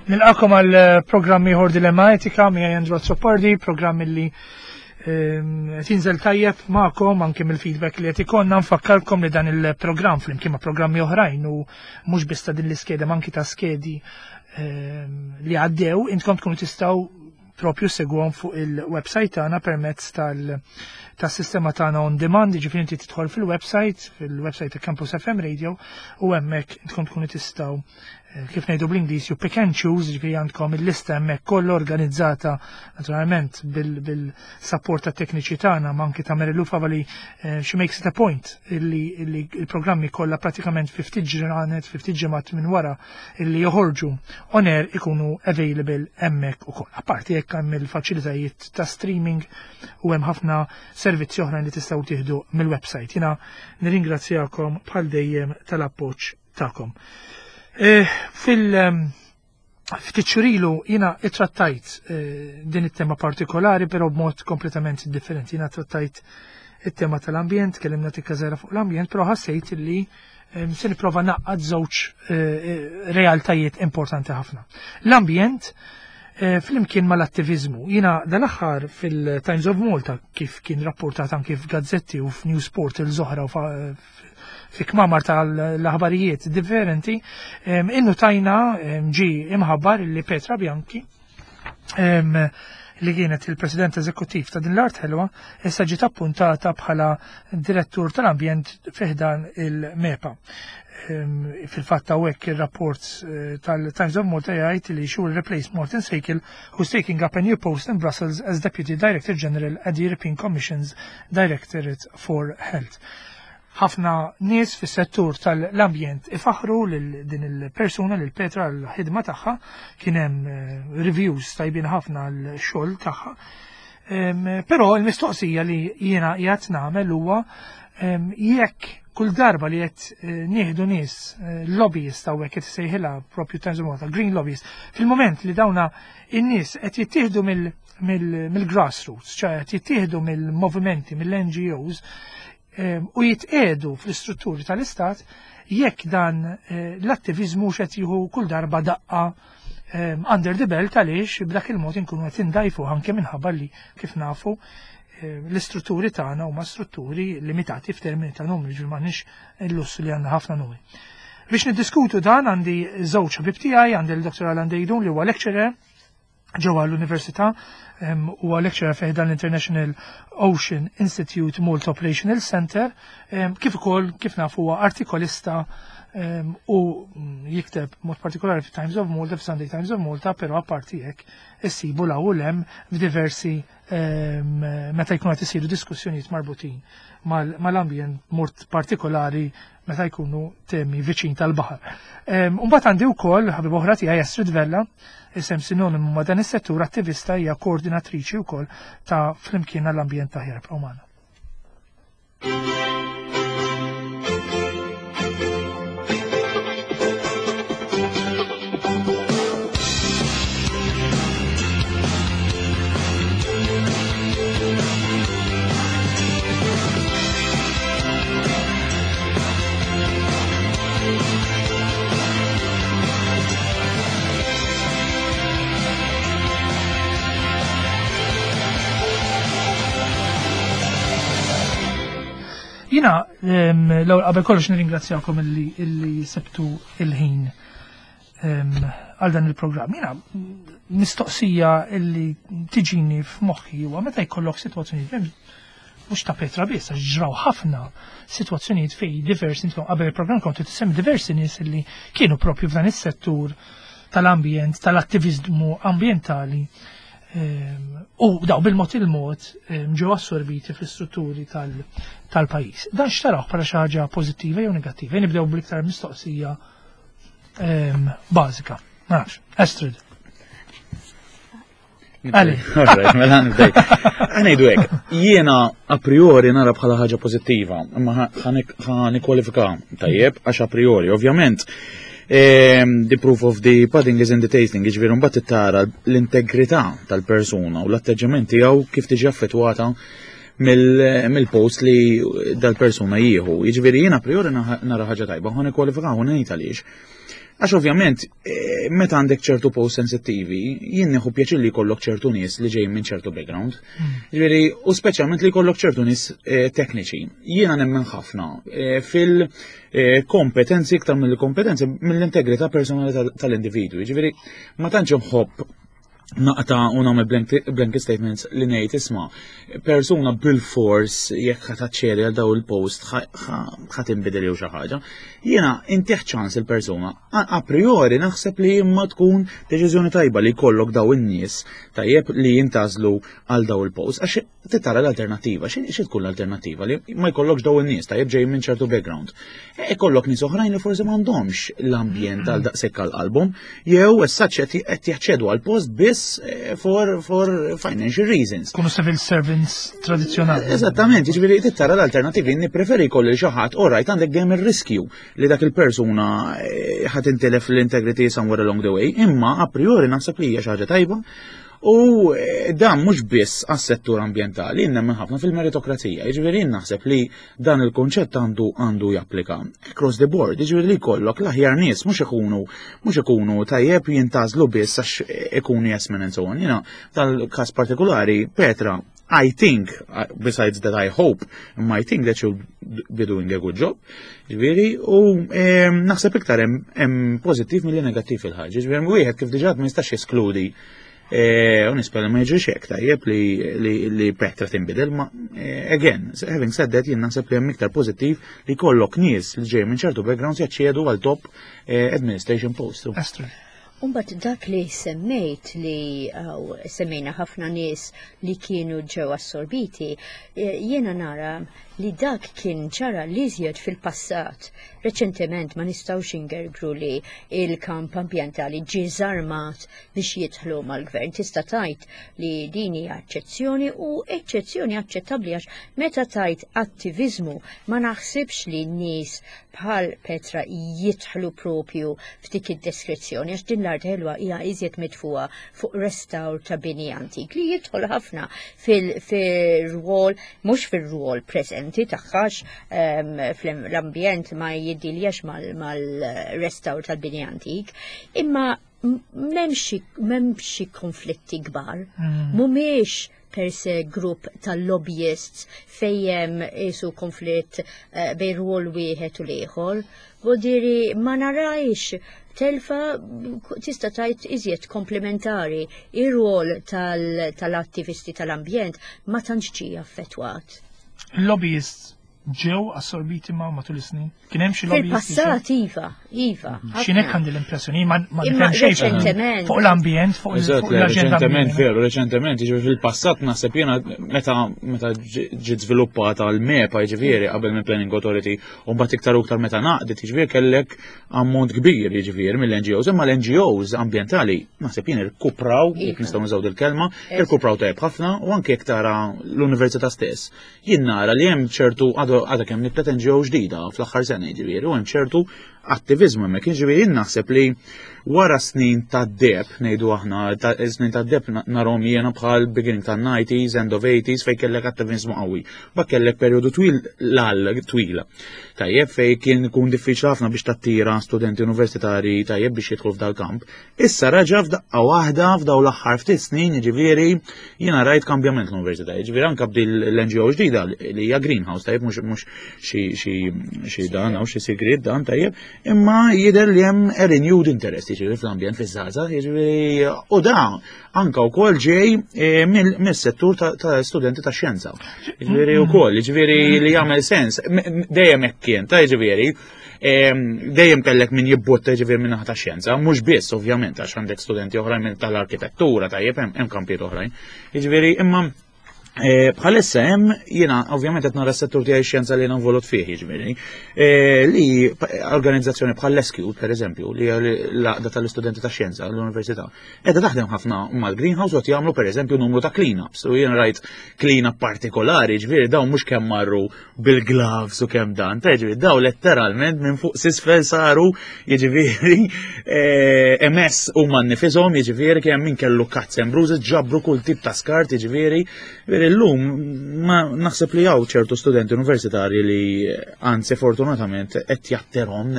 Nilqakom għal eh, programm ieħor Dilemma Etika miegħi Andrew Azzopardi, programm illi ehm, qed jinżel tajjeb magħkom anke mill-feedback li qed ikollna nfakkarkom li dan il-programm flimkien ma' programmi oħrajn u mhux biss ta' din l-iskeda ma anki ta' skedi ehm, li għaddew intkom tkunu tistgħu propju segwhom fuq il-website tagħna permezz tal-sistema tagħna on demand, jiġifieri inti tidħol fil-website, fil-website ta' Campus FM Radio u hemmhekk intkom tkunu tistgħu eh, kif ngħidu bl-Ingliż you pick and choose, ġifieri għandkom il-lista hemmhekk kollha organizzata naturalment bil-support tat tekniċi tagħna ma anki ta' Mary Lou Favali eh, she makes it a point illi il-programmi kollha pratikament fi ftit ġranet, fi ftit ġimgħat minn wara illi joħorġu on air ikunu available hemmhekk ukoll. Apparti jekk hemm il-faċilitajiet ta' streaming u hemm ħafna servizzi oħrajn li tistgħu tieħdu mill-website. Jiena nirringrazzjakom bħal dejjem tal-appoġġ tagħkom. Eh, fil- ehm, ftit xurilu jina ittrattajt eh, din it-tema partikolari, però b'mod kompletament differenti. Jina trattajt it-tema tal-ambjent, kellimna tikka żgħira fuq l-ambjent, però ħassejt li ehm, se nipprova naqqad żewġ eh, realtajiet importanti ħafna. L-ambjent flimkien mal-attivizmu. Jina dal-aħħar fil-Times of Malta kif kien rapportat anki f'gazzetti u f'news portals oħra u fi kmamar tal-aħbarijiet differenti, innu tajna ġi imħabbar li Petra Bianchi li kienet il-President Eżekuttiv ta' din l-art ħelwa, issa ġiet appuntata bħala direttur tal-ambjent fiħdan il-MEPA. Fil-fatt hawnhekk ir-rapport eh, tal-Times of Malta jgħid li she will replace Martin Seikel who's taking up a new post in Brussels as Deputy Director General at the European Commission's Directorate for Health. Ħafna nies fis-settur tal-ambjent ifaħru lil din il-persuna lil Petra l-ħidma tagħha kien hemm eh, reviews tajbin ħafna l-xogħol tagħha. Però l-mistoqsija li jiena qiegħed nagħmel huwa jekk kull darba li qed eh, nieħdu nies eh, lobbyist hawnhekk qed isejħilha propju Times of Malta, green lobbyist, fil-moment li dawna in-nies qed jittieħdu mill-grassroots, ċa qed jittieħdu mill-movimenti, mill-NGOs, ehm, u jitqedu fl-istrutturi tal-istat jekk dan eh, l-attivizmu xed jieħu kull darba daqqa ehm, under the belt għaliex b'dak il-mod inkunu qed indajfu anke minħabba li kif nafu eh, l-istrutturi tagħna huma strutturi limitati f'termini ta' numri, ġifieri m'għandniex il-lussu li għandna ħafna numri. Biex niddiskutu dan għandi żewġ ħbib tiegħi, għandi l-Dr. Alan Dejdun li huwa lecturer ġewwa l-Università huwa lecturer fih dan l-International Ocean Institute Malta Operational Center, kif ukoll kif nafu huwa artikolista u mm, jikteb mod partikolari fi Times of Malta, fi Sunday Times of Malta, però apparti hekk issibu l u lem f'diversi meta jkunu qed isiru diskussjonijiet marbutin mal-ambjent mod partikolari meta jkunu temi viċin tal-baħar. Mbagħad għandi wkoll ħabib oħra tiegħi Astrid Vella, isem sinonimu ma' dan is-settur attivista hija koordinatriċi wkoll ta' Flimkien għall-Ambjent Aħjar Promana. Jina, l-ewwel qabel kollox nirringrazzjakom illi illi sebtu il-ħin għal dan il-programm. Jina, mistoqsija illi tiġini f'moħħi huwa meta jkollok sitwazzjoni mhux ta' Petra biss, għax ġraw ħafna sitwazzjonijiet fej diversi, intom qabel il-programm kontu tisem diversi nies li kienu propju f'dan is-settur tal-ambjent, tal-attivizmu ambjentali ehm, u daw bil-mod il-mod ehm, ġew assorbiti fl-istrutturi tal-pajjiż. Dan xtaraw bħala xi ħaġa pożittiva jew negattiva? Nibdew bl-iktar mistoqsija ehm, bażika. Ma nafx, Astrid. Għali. Alright, mela nibdej. Għanajdu hekk, jiena a priori nara bħala ħaġa pożittiva, imma ħanikwalifika tajjeb għax a priori, ovvjament. Ehm, the proof of the pudding is in the tasting, jiġifieri mbagħad tara l-integrità tal-persuna u l-atteġġament tiegħu kif tiġi affettwata mill-post li dal-persuna jieħu. Jiġifieri jiena a priori nara ħaġa tajba, ħanikwalifika u ngħid għaliex. Għax ovvjament, meta għandek ċertu post sensittivi, jien nieħu pjaċir li jkollok ċertu nies li ġejjin minn ċertu background. Ġifieri, u speċjalment li jkollok ċertu nies tekniċi. Jiena nemmen ħafna fil-kompetenzi iktar mill-kompetenzi mill-integrità personali tal-individwi. Ġifieri, ma tantx inħobb naqta u nagħmel blanket statements li ngħid isma' persuna bil-fors jekk ħa taċċedi għal daw il-post ħa tinbidel jew xi ħaġa. Jiena intih ċans il-persuna. A priori naħseb li imma tkun deċiżjoni tajba li jkollok daw in-nies tajjeb li jintgħażlu għal daw il-post għax tara l-alternattiva. Xi tkun l-alternattiva li ma jkollokx daw in-nies tajjeb ġej minn ċertu background. Ikollok nies oħrajn li forsi m'għandhomx l-ambjent għal daqshekk għal qalbhom, jew issa qed jaċċedu għal post biss for financial reasons. Kunu civil servants tradizzjonali. Eżattament, jiġifieri tara l-alternattivi, nippreferi jkolli xi ħadd, all right, għandek dejjem ir-riskju li dak il-persuna ħa tintilef l-integrity somewhere along the way, imma a priori naħseb li hija xi ħaġa tajba. U dan mhux biss għas-settur ambjentali, nemmen ħafna fil-meritokrazija. Jiġifieri naħseb li dan il-konċett għandu japplika across the board, jiġifieri li jkollok l-aħjar nies mhux ikunu tajjeb jintgħażlu biss għax ikunu yes men and so on. Jiena tal-każ partikolari, Petra, I think, besides that I hope, I think that she'll be doing a good job. Ġifieri, u naħseb iktar hemm pożittiv milli negattiv fil-ħaġa. Ġifieri, wieħed kif diġà ma jistax jeskludi. U nispera ma jiġrix hekk tajjeb li Petra tinbidel, ma again, having said that, jien naħseb li hemm iktar pożittiv li jkollok nies li ġej minn ċertu backgrounds jaċċedu għal top administration post. Astrid. Umbat dak li semmejt li semmejna ħafna nies li kienu ġew assorbiti, jiena nara li dak kien ġara li iżjed fil-passat. Reċentement ma nistgħux ingergru li il-kamp ambjentali ġie żarmat biex jidħlu mal-gvern. Tista' tgħid li din hija eċċezzjoni u eċċezzjoni aċċettabbli għax meta tgħid attiviżmu ma naħsibx li n-nies bħal Petra jidħlu propju f'dik id-deskrizzjoni għax din l-art ħelwa hija iżjed mitfuha fuq restawr ta' bini antik li jidħol ħafna fil-rwol, mhux fil-rwol preżenti tagħhax fl-ambjent ma jiddiljax mal-restawr tal-bini antik, imma m'hemmx konflitti kbar, mhumiex per se grupp tal-lobbyists fejjem isu konflitt bejn rwol wieħed u l-ieħor. Vuldiri ma narajx telfa tista' tgħid iżjed komplementari ir-rwol tal-attivisti tal-ambjent ma tantx ġie affettwat. Lobbyists ġew assorbiti ma matul is-snin? Kien hemm xi lobbyists? Fil-passat iva, iva. X'inek għandi l-impressjoni, ma nifhem xejn fuq l-ambjent, fuq l-aġenda. Reċentement, veru, reċentement, jiġifieri fil-passat naħseb jiena meta ġiet żviluppata l-MEPA, jiġifieri qabel minn Planning Authority, u mbagħad iktar u iktar meta naqdet, jiġifieri kellek ammont kbir, jiġifieri mill-NGOs, imma l-NGOs ambjentali naħseb jien irkupraw, jekk nistgħu nużaw dil-kelma, irkupraw tajjeb ħafna u anke jekk tara l-università stess. Jien nara li hemm ċertu għadha kemm nibtet NGO ġdida fl-aħħar sena jiġifieri u hemm ċertu attiviżmu hemmhekk, jiġifieri jien naħseb li wara snin ta' deb, ngħidu aħna, snin ta' deb narhom jiena bħal beginning ta' 90s, end of 80s fejn kellek attiviżmu qawwi. Ba kellek perjodu twil l twila. Tajjeb fejn kien ikun diffiċli ħafna biex tattira studenti universitari tajjeb biex jidħlu f'dal-kamp. Issa raġa f'daqqa waħda f'daw l-aħħar ftit snin, jiġifieri jiena rajt kambjament l-università, jiġifieri anke b'dil l-NGO ġdida li hija Greenhouse, tajjeb mhux xi dan hawn xi sigriet dan tajjeb, imma jidher li hemm a renewed interest jiġifieri fl-ambjent fiż-żgħażagħ, jiġifieri u dan anke wkoll ġej mis-settur ta' studenti ta' xjenza. Jiġifieri wkoll, jiġifieri li jagħmel sens, dejjem hekk kien, ta' jiġifieri dejjem kellek min jibbotta ġifieri minn ta' xjenza, mhux biss ovvjament għax għandek studenti oħrajn minn tal-arkitettura tajjeb hemm kampijiet oħrajn. Jiġifieri imma bħalissa hemm jiena ovvjament qed nara s-settur tiegħi xjenza li jiena involut fih jiġifieri, li organizzazzjoni bħal l-SQ pereżempju li hija l-għaqda tal-istudenti ta' xjenza l-università, qiegħda taħdem ħafna mal-Greenhouse u qed jagħmlu pereżempju numru ta' clean-ups. U jien rajt clean-up partikolari, ġifieri dawn mhux kemm marru bil-gloves u kemm dan, ta' ġifieri daw letteralment minn fuq s'isfel saru jiġifieri MS huma nnifisom, jiġifieri kemm min kellu cuts and bruises, ġabru kull tip ta' skart, jiġifieri, Jiġifieri llum ma naħseb li hawn ċertu studenti universitarji li anzi fortunatament qed jatterhom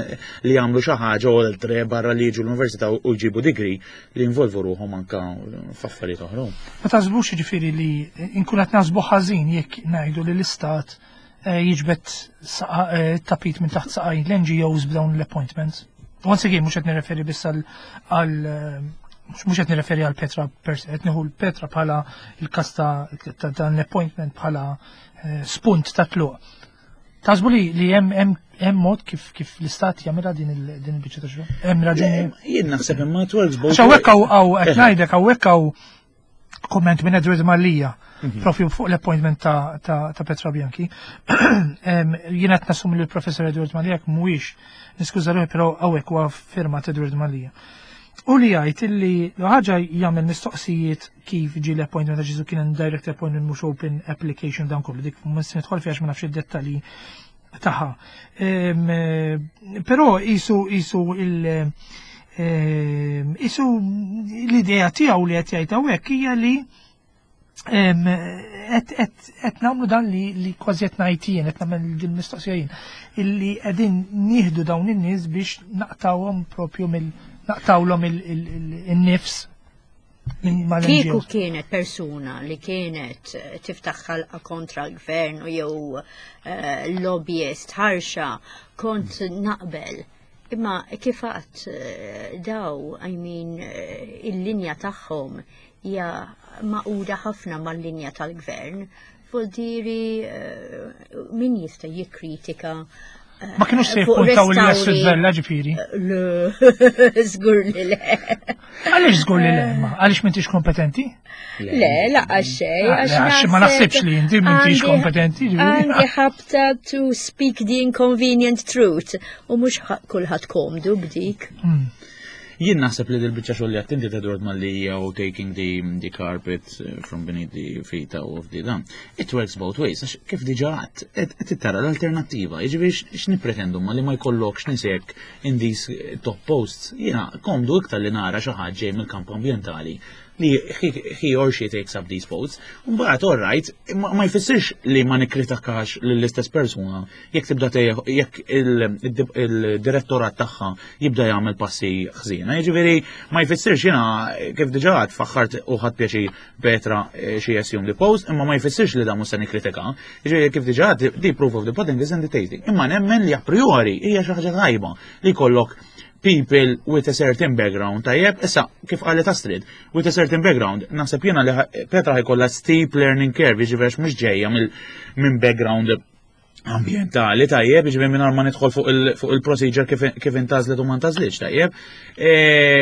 li jagħmlu xi ħaġa oltre barra li jiġu l-università u jġibu degree li jinvolvu ruħhom anka f'affarijiet oħra. Ma taħsbux jiġifieri li nkun qed naħsbu ħażin jekk ngħidu li l-istat eh, jiġbed eh, tapit minn taħt saqajn l-NGOs b'dawn l-appointments. Once again, mhux qed nirreferi biss għal eh, mhux qed nirreferi għal Petra per se, qed nieħu l-Petra bħala il-każ ta' dan l-appointment bħala spunt ta' tluq. Taħsbu li li hemm hemm mod kif kif l-istat jagħmilha din din il-biċċa ta' xogħol? Hemm raġuni. Jien naħseb imma it works both. Hawnhekk hawn qed ngħidlek hawnhekk hawn komment minn Edward Mallia, mhm. propju fuq l-appointment ta', ta, ta Petra Bianchi. Jien qed nassum li l-professor Edward Mallia mhuwiex niskuża ruħi però hawnhekk huwa firmat Edward Mallia. U li jgħid illi ħaġa jagħmel mistoqsijiet kif ġie l-appointment għax kien direct appointment mhux open application dan kollu dik mhux nidħol fiha ma nafx id-dettalji tagħha. Però isu isu il isu l-idea tiegħu li qed jgħid hawnhekk hija li qed nagħmlu dan li li kważi qed ngħid jien qed nagħmel din mistoqsija jien illi qegħdin nieħdu dawn in-nies biex naqtawhom propju mill naqtawlhom il-nifs Kieku kienet persuna li kienet eh, tiftaħ ħalqa kontra l-gvern u jew eh, lobbyist ħarxa kont naqbel. Imma kif għat eh, daw, I mean, il-linja tagħhom hija maquda ħafna mal-linja tal-gvern. Vuldiri min jista' jikkritika Ma kienux se jippuntaw li Astrid Vella ġifieri. Le, żgur li le. Għaliex żgur li le, ma għaliex m'intix kompetenti? Le, laqqa xej. Ah, għax ma naħsibx li inti m'intix kompetenti. Għandi ħabta to speak the inconvenient truth u mhux kulħadd komdu b'dik. Hmm. Jien naħseb li dil-biċċa xogħol li għattinti ta' Edward Mallia u taking the, the carpet eh, from beneath the feet of the dan. It works both ways, għax kif diġa għat, qed tara l-alternattiva, jiġifieri x'nippretendu ma li ma jkollokx nisek in these eh, top posts, jiena komdu iktar li nara xi ħadd ġej mill-kamp ambjentali li he or she takes up these posts. Mbagħad all right, ma jfissirx li ma nikkritikax lill-istess persuna jekk tibda jekk il-direttorat tagħha jibda jagħmel passi ħżiena. Jiġifieri ma jfissirx jiena kif diġà għad faħħart u ħadd pjaċir Petra eh, xi assume the post, imma ma jfissirx li dan mhux se nikkritika. Jiġifieri kif diġà the proof of the pudding is in the tasting. Imma nemmen li a priori hija xi ħaġa tajba li jkollok people with a certain background, tajjeb, issa, kif qalet Astrid, with a certain background, naħseb jiena li Petra ħajkollha steep learning curve, jiġifieri mhux ġejja minn background ambientali tajjeb, jiġifieri mingħajr ma nidħol fuq il-procedure kif intażlet u ma ntażlitx tajjeb. E,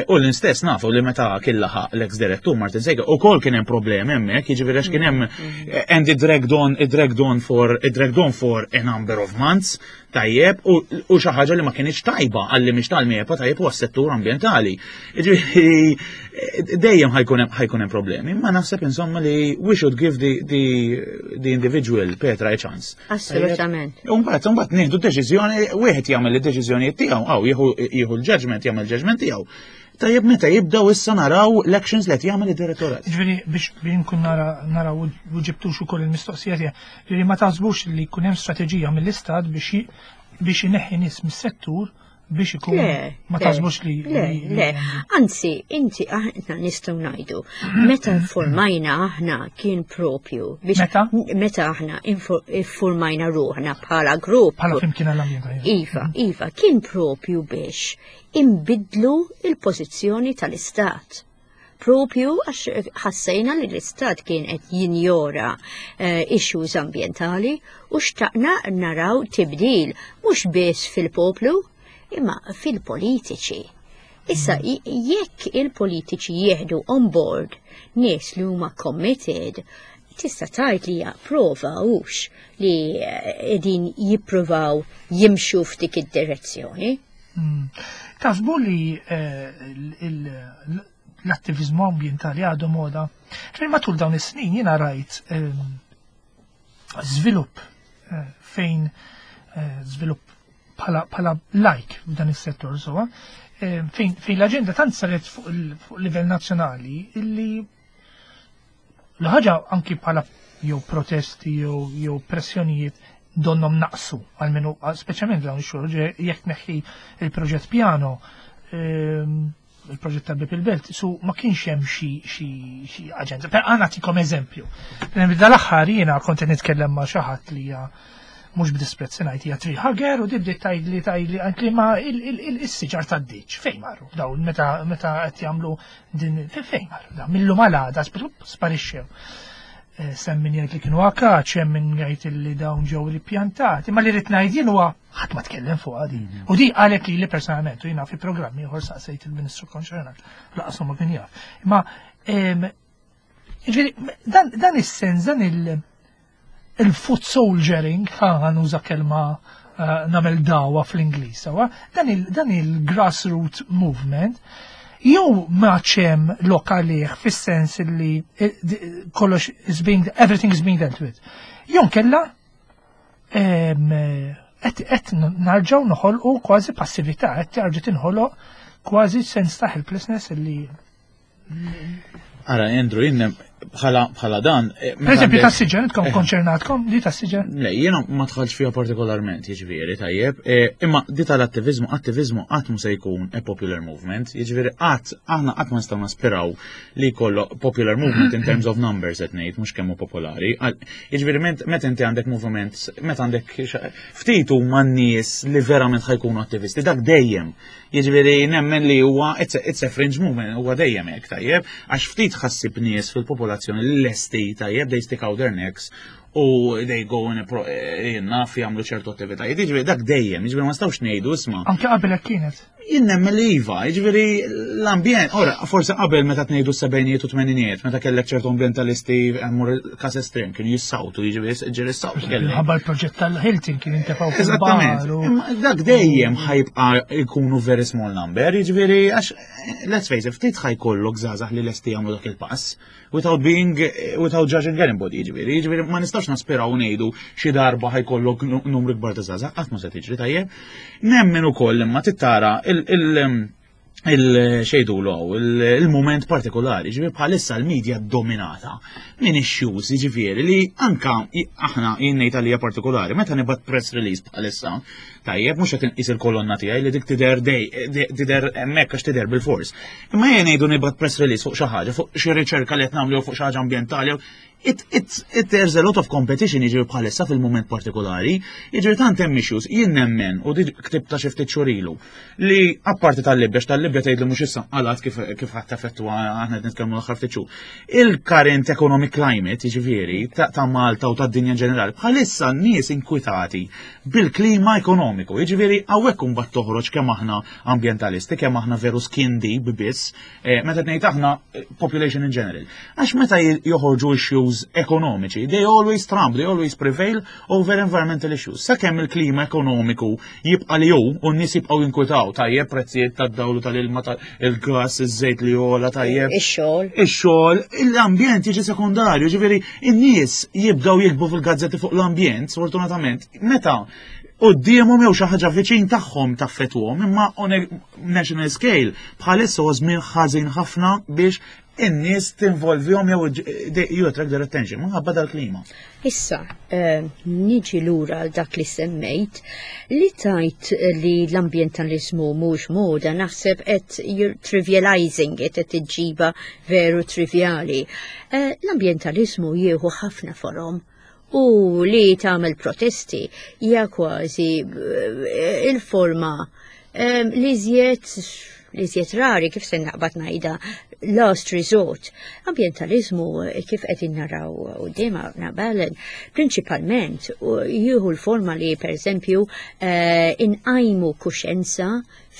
u l-istess nafu li meta kien laħaq l-ex direttur Martin Sejka ukoll kien hemm problemi hemmhekk, jiġifieri għax kien hemm mm, mm. and it dragged on, it dragged on for it dragged on for a number of months tajjeb u xi ħaġa li ma kienx tajba għalli mhix tal-MEPA tajjeb u għas-settur ambjentali. Jiġifieri dejjem ħajkun hemm problemi, ma naħseb insomma li we should give the, the, the individual Petra a chance. Assolutament. Umbagħad mbagħad nieħdu deċiżjoni, wieħed jagħmel id-deċiżjonijiet tiegħu, aw jieħu l-judgment, jagħmel judgment tiegħu. Tajjeb meta jibdew issa naraw l-actions li qed jagħmel id-direttorat. Ġifieri biex nkun nara naraw u ġibtux ukoll il-mistoqsija tiegħek, ġifieri ma taħsbux li jkun hemm strateġija mill-istat biex biex ineħħi nies mis-settur biex ikun ma taħsbux li. Le, le, anzi, inti aħna nistgħu ngħidu, meta formajna aħna kien propju biex meta meta aħna informajna ruħna bħala grupp. Bħala flimkien għall-ambjent. Iva, iva, kien propju biex inbiddlu il-pożizzjoni tal-Istat. Propju għax ħassejna li l-Istat kien qed jinjora eh, issues ambjentali u xtaqna naraw tibdil mhux biss fil-poplu imma fil-politiċi. Issa mm. jekk il-politiċi jieħdu on board nies li huma committed, tista' tgħid li hija prova hux li eh, qegħdin jippruvaw jimxu f'dik id-direzzjoni. Hmm. Taħsbu li eh, l-attivizmu ambientali għadu moda? Ġifieri matul dawn is-snin jiena rajt ehm, żvilupp eh, fejn eh, żvilupp bħala like f'dan is-settur sowa, fejn l-aġenda tant saret fuq livell nazzjonali illi l-ħaġa anki bħala jew protesti jew pressjonijiet donnhom naqsu, għalmenu speċjalment dawn ix-xhur, jekk neħħi il-proġett Piano, il-proġett tal-Bib il-Belt, su ma kienx hemm xi aġenda. Per għana nagħtikom eżempju. Dal-aħħar jiena kont qed nitkellem ma' xi ħadd li hija mhux b'disprezz ngħid hija tree hugger u dibdi tgħidli tgħidli għalt ma il-siġar tad-ditch fejn marru dawn meta qed jagħmlu din fejn marru dawn mill-lum għal għada sparixxew. Hemm min jgħid li kienu akaċ, hemm min jgħid li dawn ġew ripjantati, ma li rrid ngħid jien huwa ħadd ma tkellem fuq di. U di qalet li li personalment u jiena fi programmi ieħor saqsejt il-Ministru konċernat, laqas ma kien jaf. Imma jiġifieri dan is-sens, dan il-foot soldiering, ħa nuża kelma nagħmel dawa fl-Ingliż, sewa, dan il-grassroot movement, jew ma ċem lokalih fis-sens li kollox is being, everything is being dealt with. Jew kella qed narġgħu noħolqu kważi passività, qed terġa' tinħoloq kważi sens ta' helplessness li Ara, Andrew, jien bħala dan. Per eżempju, ta' siġar, intkom konċernatkom, di ta' siġar? Le, jiena ma dħalx fiha partikolarment, jiġifieri, tajjeb. Imma di tal-attivizmu, attivizmu qatt mu se jkun a popular movement, jiġifieri qatt aħna qatt ma nistgħu naspiraw li jkollu popular movement in terms of numbers qed ngħid, mhux kemm hu popolari. Jiġifieri meta inti għandek movement, meta għandek ftit huma n-nies li verament ħa jkunu attivisti, dak dejjem. Jiġifieri nemmen li huwa it's a fringe movement, huwa dejjem hekk, tajjeb, għax ftit ħassib nies fil-popolazzjoni li lesti, tajjeb, they stick out their necks u they go in a pro, naf jagħmlu ċertu attivitajiet. Jiġifieri dak dejjem, jiġifieri ma nistgħux ngħidu isma'. Anke qabel hekk kienet. Jien nemmen li iva, jiġifieri l-ambjent, ora, forse qabel meta tnejdu s-sebgħinijiet u tmeninijiet, meta kellek ċertu ambientalisti mmur każ estrem, kienu jissawtu, jiġifieri ġieli ssawtu kellek. Ħabba l-proġett tal-Hilton kien intefgħu fil-bar Eżattament. u Imma dak dejjem ħa jibqa' jkunu very small number, jiġifieri għax let's face it, ftit ħa jkollok żgħażagħ li lesti jagħmlu dak il-pass without judging anybody, jiġifieri ma nistax naspiraw ngħidu xi darba ħa jkollok numru kbar ta' żgħażagħ, qatt ma se tiġri tajjeb. Nemmen ukoll imma tittara il-xejdu il-moment partikolari, ġifieri bħalissa l-medja dominata minn issues, ġifieri li anka aħna jien ngħid għalija partikolari, meta nibgħat press release bħalissa, tajjeb, mhux qed inqis il-kolonna tiegħi li dik tidher dej, tidher hemmhekk għax tidher bil-fors. Imma jien ngħidu nibgħat press release fuq xi ħaġa, fuq xi riċerka li qed nagħmlu fuq xi ħaġa ambjentali, there's a lot of competition jiġri bħalissa fil-moment partikolari, jiġri tant hemm issues, jien nemmen u di ktibta xi ftit xhur ilu li apparti tal-Libja, tal-Libja tgħid li mhux issa qalat kif ħadd effettwa aħna qed nitkellmu l-aħħar ftit xhur. Il-current economic climate, jiġifieri, ta' Malta u tad-dinja ġenerali, bħalissa n-nies inkwitati bil-klima ekonomiku, jiġifieri hawnhekk imbagħad toħroġ kemm aħna ambjentalisti, kemm aħna veru skin deep biss, meta ngħid aħna population in general. Għax meta joħorġu issues ekonomiċi, they always trump, they always prevail over environmental issues. Sakemm il-klima ekonomiku jibqa' li hu u n-nies jibqgħu jinkwitaw, tajjeb prezzijiet tad-dawl tal-ilma, il-gas, iż-żejt li jola, tajjeb. Ix-xogħol. Ix-xogħol, l-ambjent jiġi sekundarju, ġifieri n-nies jibdew jiktbu fil-gazzetti fuq l-ambjent, sfortunatament, meta quddiemhom jew xi ħaġa viċin tagħhom taffetwhom, imma on a national scale bħalissa huwa żmien ħażin ħafna biex in-nies tinvolvihom jew you attract their attention minħabba dal-klima. Issa, niġi lura għal dak li semmejt, li tajt li l-ambientalizmu mhux moda, naħseb qed you're trivializing it, qed iġġiba veru trivjali. L-ambientalizmu jieħu ħafna forom u li tagħmel protesti hija kważi il-forma li żjed rari, kif se naqbad ngħidha, last resort. Ambientalizmu kif qegħdin naraw quddiem nabalen, prinċipalment jieħu l-forma li pereżempju inqajmu kuxenza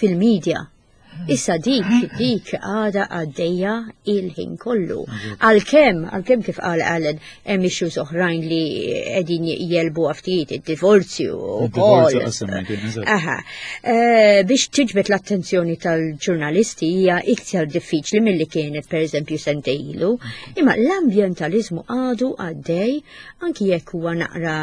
fil-medja. Issa dik għada għaddejja il-ħin kollu. Għalkemm kif qal Alan, hemm issues oħrajn li qegħdin jelbu ftit id-divorzju u Il-divorzju koll. qasem, kien, eżatt. Aha. Biex tiġbed l-attenzjoni tal-ġurnalisti hija iktar diffiċli milli kienet pereżempju sentejn ilu. Imma l-ambientalizmu għadu għaddej, anki jekk huwa naqra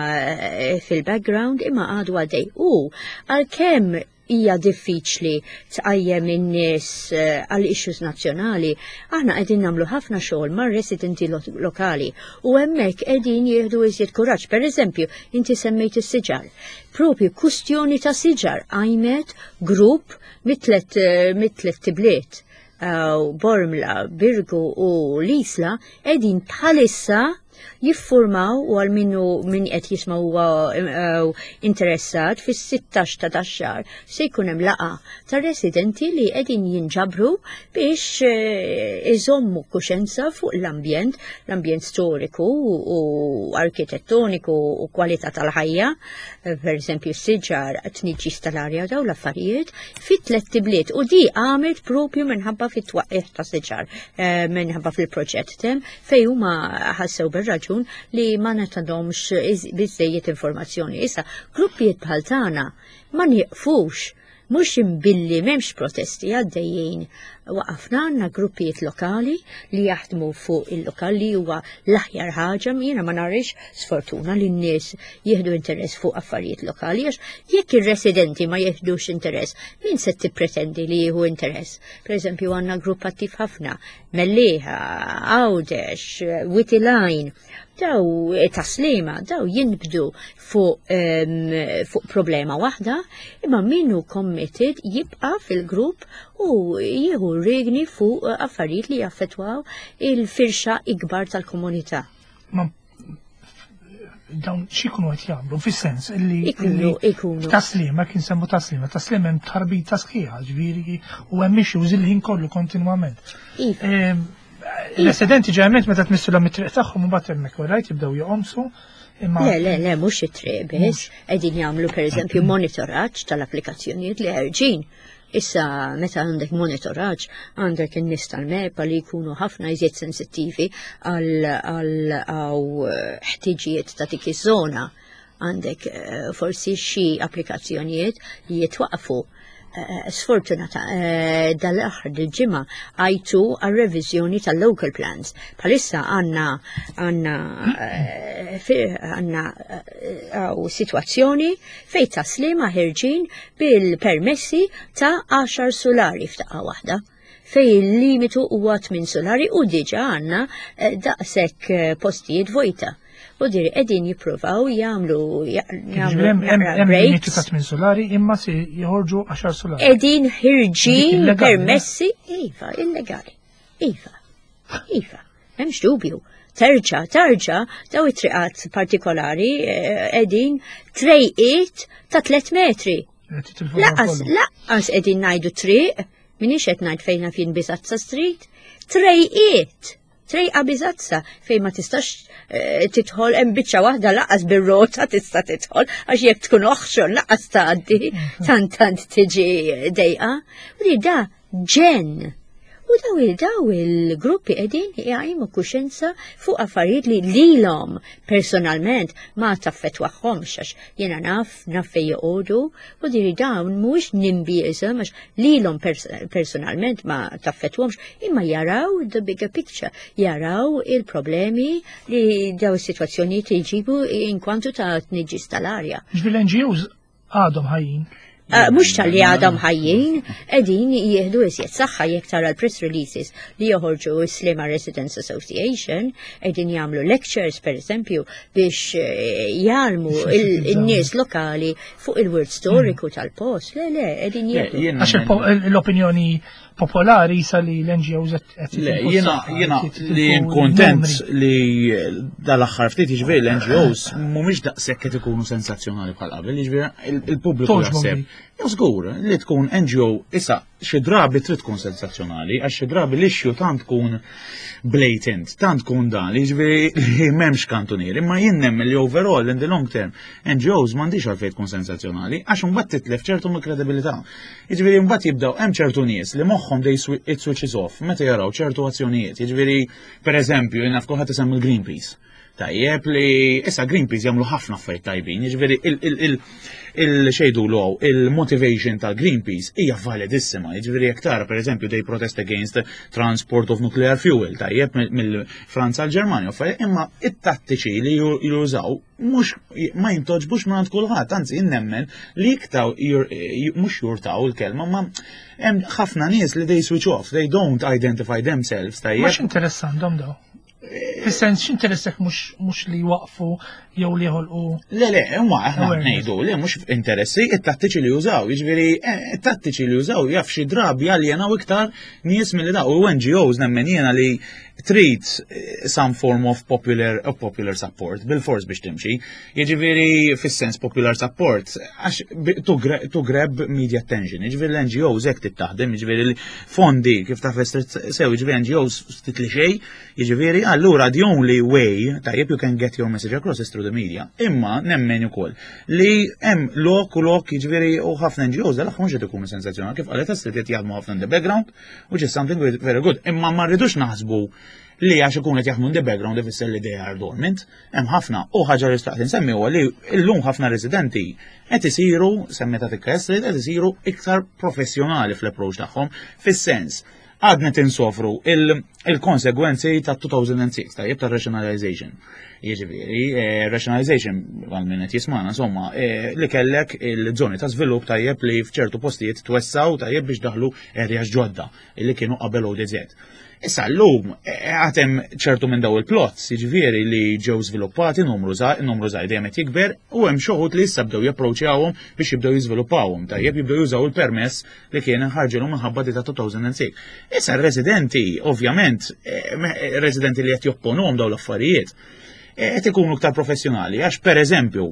fil-background, imma għadu għaddej. U għalkemm hija diffiċli tqajjem in-nies eh, għal issues nazzjonali, aħna qegħdin nagħmlu ħafna xogħol mar-residenti lokali u hemmhekk qegħdin jieħdu iżjed kuraġġ. Pereżempju, inti semmejt is-siġar. Propju kustjoni ta' siġar qajmet grupp mit-tlet eh, mit-tlet tibliet. Eh, Bormla, Birgu u l-Isla qegħdin bħalissa jiffurmaw u għal minnu min qed jisma' huwa eh, interessat fis-16 ta' dax-xahar se jkun hemm laqgħa ta' residenti li qegħdin jinġabru biex eh, iżommu kuxenza fuq l-ambjent, l-ambjent storiku u arkitettoniku u kwalità tal-ħajja, eh, per eżempju s-siġar, tniġġis tal-arja daw l-affarijiet, fit tliet tibliet u di għamet propju minħabba fit-twaqqih ta' siġar minħabba fil-proġett tem fej huma ħassew bir-raġun li ma natadhomx biżejjed informazzjoni. Issa, gruppijiet bħal tagħna ma nieqfux mhux imbilli m'hemmx protesti għaddejjin. Waqafna għandna gruppijiet lokali li jaħdmu fuq il-lokal li huwa l-aħjar ħaġa jiena ma narix sfortuna li n-nies jieħdu interess fuq affarijiet lokali għax jekk ir-residenti ma jieħdux interess, min se tippretendi li jieħu interess? Per eżempju għandna grupp attiv ħafna Mellieħa, Għawdex, Witilajn, daw eh, taslima, daw jinbdu fuq um, fuq problema waħda, imma minnu committed jibqa fil-grupp u jieħu regni fuq affarijiet li jaffetwaw il-firxa ikbar tal-komunità. Dawn x'ikunu qed jagħmlu fis-sens illi ikunu ikunu taslima kien semmu taslima taslima hemm tħarbita sħiħa ġifieri u hemm issues il-ħin kollu kontinwament. Iva. Ehm, residenti ġeneralment meta tmissulhom it-triq tagħhom u mbagħad hemmhekk rajt jibdew joqomsu. Le, le, le, mhux it-triq biss, qegħdin jagħmlu pereżempju monitoraġġ tal-applikazzjonijiet li ħerġin. Issa meta għandek monitoraġġ, għandek in-nies tal-MEPA li jkunu ħafna iżjed sensittivi għal ħtiġijiet ta' dik iż-żona. Għandek eh, forsi xi applikazzjonijiet li jitwaqfu eh, sfortunata eh, dal-aħħar dil-ġimgħa għajtu għal-reviżjoni tal-local plans. Bħalissa għandna għandna għandna situazzjoni fejn taslima ħirġin bil-permessi ta' 10 sulari f'daqqa waħda fej il-limitu huwa 8 sulari u diġa għandna eh, daqshekk eh, postijiet vojta. U diri qegħdin jippruvaw jagħmlu jagħmlu limitu ta' 8 sulari imma se joħorġu 10 sulari. Qegħdin ħirġin permessi iva illegali. Iva. Iva. Hemmx dubju. Terġa, terġa, daw it-triqat partikolari eh, qegħdin trejqiet ta' 3 metri. Laqas, laqas qegħdin ngħidu triq, minix qed ngħid fejn fin Bizazza Street, trejqiet, trejqa Bizazza fejn ma tistax eh, tidħol hemm biċċa waħda laqas bir-rota tista' tidħol għax jekk tkun oħxon laqas tgħaddi mhm. tant tant tiġi dejqa. U li da ġenn. U daw il-daw il-gruppi qegħdin jgħajmu kuxenza fuq affarijiet li lilhom personalment ma taffetwaħħomx għax jiena naf naf fejn joqogħdu u diri dawn mhuwiex nimbiżem għax lilhom personalment ma taffetwhomx imma jaraw the bigger picture, jaraw il-problemi li daw is-sitwazzjonijiet jġibu inkwantu ta' tniġġis tal-arja. Ġifieri l-NGOs għadhom ħajjin. Eh, mhux tal-li għadhom ħajjin, qegħdin jieħdu iżjed saħħa jekk tara l-press releases li joħorġu Slima Residents Association, qegħdin jagħmlu lectures pereżempju biex eh, jgħalmu il-nies lokali fuq il-wirt storiku mm. tal-post. Le, le, qegħdin jieħdu. Għax l-opinjoni popolari sa li l-NGOs qed Le, jiena jiena li kontent li dal-aħħar ftit jiġifieri l-NGOs mhumiex daqshekk qed ikunu sensazzjonali bħal qabel, jiġifieri il-pubbliku jaħseb. Jew żgur li tkun NGO issa xi drabi trid tkun sensazzjonali, għax xi drabi l-issue tant tkun blatant, tant tkun dan, jiġifieri li m'hemmx kantunier, imma jien nemmen li overall in the long term NGOs m'għandix għalfejn tkun sensazzjonali, għax imbagħad titlef ċertu mill-kredibilità. Jiġifieri mbagħad jibdew hemm ċertu nies li moħħhom they it switches off meta jaraw ċertu azzjonijiet. Jiġifieri pereżempju jien naf kulħadd isemmi l-Greenpeace. Tajjeb li issa Greenpeace jagħmlu ħafna affarijiet tajbin, jiġifieri il-xejdu l il-motivation tal-Greenpeace hija validissima, jiġifieri jekk tara pereżempju they protest against transport of nuclear fuel, tajjeb mill-Franza għal Ġermanja, imma it-tattiċi li jużaw mhux ma jintoġbux minn kulħadd, anzi nemmen li iktar mhux jurtaw il-kelma, ma hemm ħafna nies li they switch off, they don't identify themselves, tajjeb. Mhux interessandhom daw. Fis-sens x'interessek mhux li waqfu jew li jħolqu. Le, le, imma aħna ngħidu li mhux interessi it-tattiċi li jużaw, jiġifieri eh, it-tattiċi li jużaw jaf xi drabi jaljenaw iktar nies milli daw u NGOs nemmen jiena li trid eh, some form of popular, of popular support bil-fors biex timxi. Jiġifieri fis-sens popular support għax to grab media attention. Jiġifieri l-NGOs hekk tittaħdem, jiġifieri fondi kif taf sew jiġifieri NGOs ftit li xejn Jiġifieri, allura the only way tajjeb you can get your message across is through the media. Imma nemmen ukoll li hemm lok u lok jiġifieri u ħafna NGOs dal mhux qed ikunu sensazzjonali kif qalet Astrid qed jaħdmu ħafna in the background, which is something very good. Imma ma rridux naħsbu li għax ikun qed jaħdmu in the background ifisser li they are dormant. Hemm ħafna u ħaġa li xtaqt insemmi huwa li llum ħafna residenti qed isiru, semmeta tikka Astrid, qed isiru iktar professjonali fl-approach tagħhom fis-sens Għadna tinsofru il-konsegwenzi ta' 2006, tajjeb ta' rationalization. Jiġifieri, eh, rationalization għal min qed jismana, insomma, eh, li kellek il-żoni ta' żvilupp tajjeb li f'ċertu postijiet twessaw tajjeb biex daħlu areas ġodda li kienu qabel ODZ. Issa llum eh, għatem ċertu minn daw il-plots, jiġifieri li ġew żviluppati numru żgħir, numru żgħir dejjem qed jikber u hemm xi li issa bdew japproċċjawhom biex jibdew jiżviluppawhom, tajjeb jibdew jużaw il-permess li kien ħarġilhom minħabba di ta' 2006. Issa r-residenti, ovvjament, eh, eh, residenti li qed jopponuhom dawn l-affarijiet, eh, qed ikunu iktar professjonali, għax per eżempju,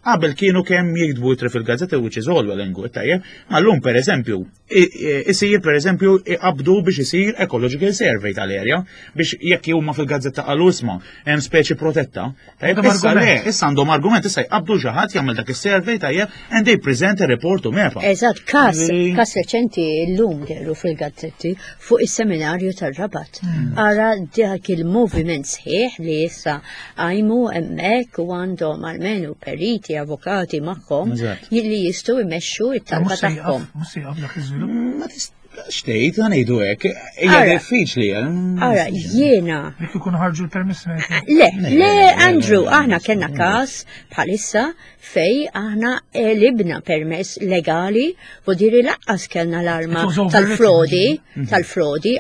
qabel kienu kemm jiktbu itri fil-gazzetta which is all well and good, tajjeb, ma llum per eżempju, isir per eżempju iqabdu biex isir ecological survey tal-area biex jekk huma fil-gazzetta qalu isma' hemm speċi protetta. Tajjeb, issa le, issa għandhom argument, issa jqabdu xi ħadd jagħmel dak is-survey tajjeb and they present a report to MEPA. Eżatt, każ każ reċenti llum dehru fil-gazzetti fuq is-seminarju tar-Rabat. Hmm. Ara dak il-moviment sħiħ li issa għajmu hemmhekk u għandhom almenu periti, avukati magħhom li jistgħu jmexxu it-talba tagħhom. Mhux se jaqaf dak iż-żvilupp. Xtejt, għanejdu hekk, hija diffiċli. Eh? Ara, jiena. Jekk ikun ħarġu l-permess. Le, le, Andrew, aħna kellna każ bħalissa fej aħna elibna permess legali u diri laqqas kellna l-arma tal-frodi, mhm. tal-frodi,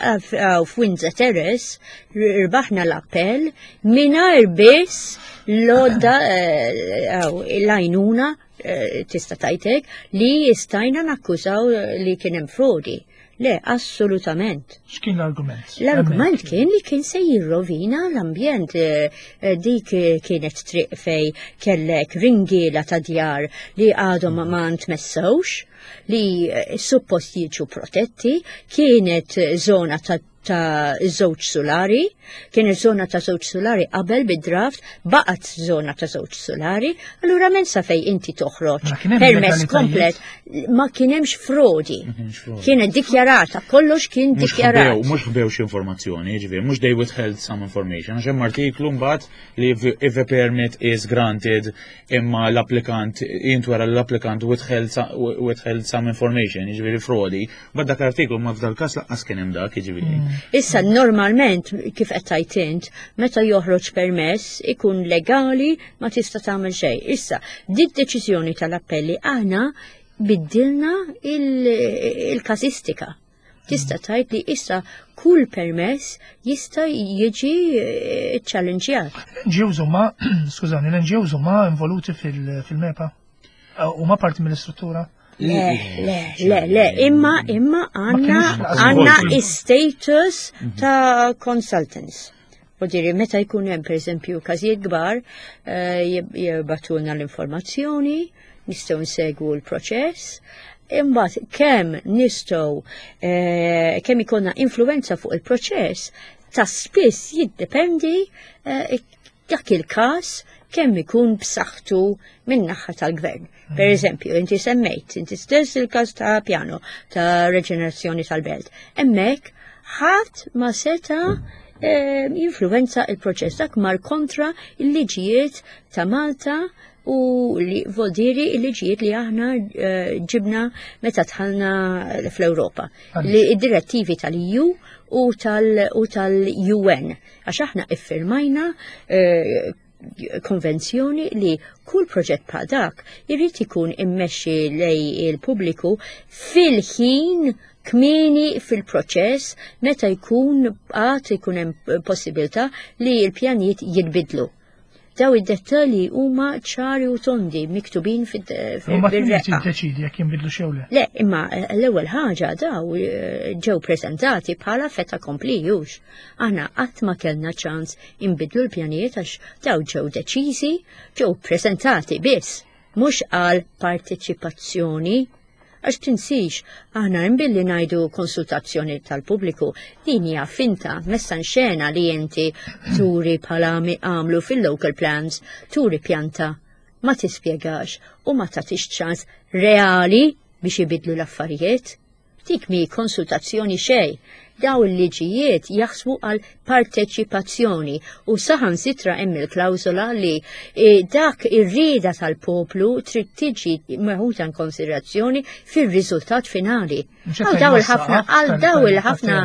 f'Windsor Terrace, rbaħna l-appell mingħajr biss l-odda eh, l-għajnuna Eh, tista' tajtek li jistajna nakkużaw li kien hemm frodi. Le, assolutament. X'kien l-argument? L-argument kien li kien se jirrovina l-ambjent. Eh, eh, dik kienet triq fej kellek ringiela ta' djar li għadhom ma ntmessewx, li suppost jiġu protetti, kienet zona ta' ta' żewġ sulari, kienet zona ta' żewġ sulari qabel bid-draft, baqgħet zona ta' żewġ sulari, allura minn sa fej inti toħroġ permess komplet ma kien hemmx frodi. Kienet dikjarata, kollox kien dikjarat. Mhux ħbew xi informazzjoni, jiġifieri, mhux they withheld some information, għax hemm artiklu mbagħad li if a permit is granted imma l-applikant jintwera l-applikant withheld some information, jiġifieri frodi, Ba dak artiklu ma f'dal każ laqqas kien hemm dak, jiġifieri. Mm. Issa normalment kif qed tgħid int, meta joħroġ permess ikun legali ma tista' tagħmel xejn. Issa, dik deċiżjoni tal-appelli aħna biddilna il-każistika. Tista' mm. tgħid li issa kull permess jista' jiġi eh, ċallenġjat. L-NGOs huma, skużani, l-NGOs huma involuti fil-MEPA? Huma parti mill-istruttura? Le, le, le, le, imma imma għanna għanna status mhm. ta' consultants. U diri, meta jkun hemm pereżempju każijiet kbar, eh, jibbatulna l-informazzjoni, nistgħu nsegwu l-proċess, imbagħad kemm nistgħu eh, kemm ikonna influenza fuq il-proċess, ta' spiss jiddependi eh, dak il-każ kemm ikun b'saħħtu min-naħa tal-gvern. Per mm. eżempju, inti semmejt, inti stess il-każ ta' pjano ta' reġenerazzjoni tal-belt. Hemmhekk ħadd ma seta' jinfluwenza il-proċess dak mar kontra il-liġijiet ta' Malta u li voldiri il-liġijiet li aħna eh, ġibna meta dħalna fl-Ewropa. Li id-direttivi tal-EU u tal-UN. Għax aħna iffirmajna eh, konvenzjoni li kull proġett bħal dak irid ikun immexxi lej il-pubbliku fil-ħin kmieni fil-proċess meta jkun għad ikun hemm possibilità li l-pjanijiet jinbidlu. Daw id-dettalji huma ċari u tondi miktubin fil-reqqa. Tiddeċidi jekk jinbidlu xew le. Le, imma eh, l-ewwel ħaġa daw eh, ġew preżentati bħala feta kompli jux. Aħna qatt ma kellna ċans inbidlu l-pjanijiet għax daw ġew deċiżi, ġew preżentati biss, mhux għal parteċipazzjoni Għax tinsix, aħna imbilli ngħidu konsultazzjoni tal-pubbliku, din hija finta, messa xena li inti turi bħala għamlu fil-local plans, turi pjanta, ma tispjegax u ma tagħtix ċans reali biex ibidlu l-affarijiet. Dik mi konsultazzjoni xej. Daw il-liġijiet jaħsbu għal parteċipazzjoni u saħansitra hemm il-klawsola li e, dak ir-rieda tal-poplu trid tiġi meħuta in konsiderazzjoni fir-riżultat finali. Għal daw il-ħafna, għal daw il-ħafna